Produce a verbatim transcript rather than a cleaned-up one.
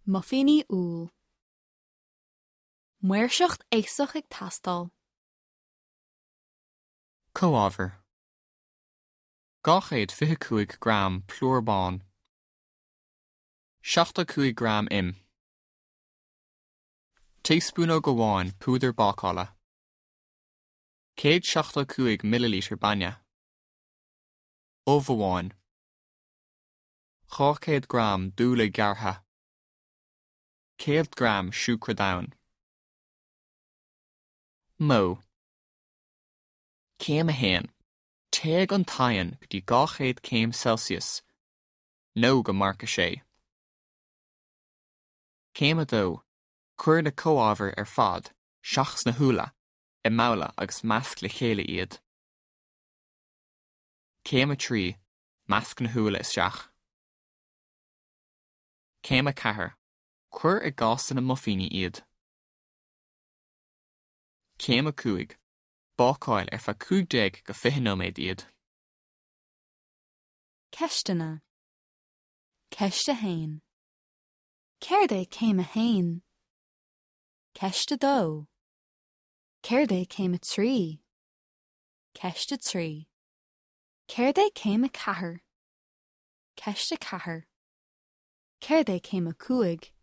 Muifíní úll. Maoirseacht aosach ag teastáil. Comhábhair Dhá chéad fiche cúig gram plúr bán. Seachtó cúig gram im. Taespúnóg amháin púdar bácála. Céad seachtó cúig millilítear bainne. Ubh amháin. Dhá chéad gram úlla gearrtha. Céad gram siúcra donn. Modh. Céim a haon. Téigh an t-oigheann go dtí dhá chéad céim Celsius, nó go marc a sé. Céim a dó, cuir na comhábhair ar fad, seachas na húlla, i mbabhla agus measc le chéile iad. Céim a trí, measc na húlla isteach. Céim a ceathair, cuir i gcásanna muifíní iad. Céim a cúig, bácáil ar feadh cúig déag go fiche nóiméad iad. Ceisteanna. Ceist a haon. Céard é céim a haon? Ceist a dó. Céard é céim a trí? Ceist a trí. Céard é céim a ceathair? Ceist a ceathair. Céard é céim a cúig?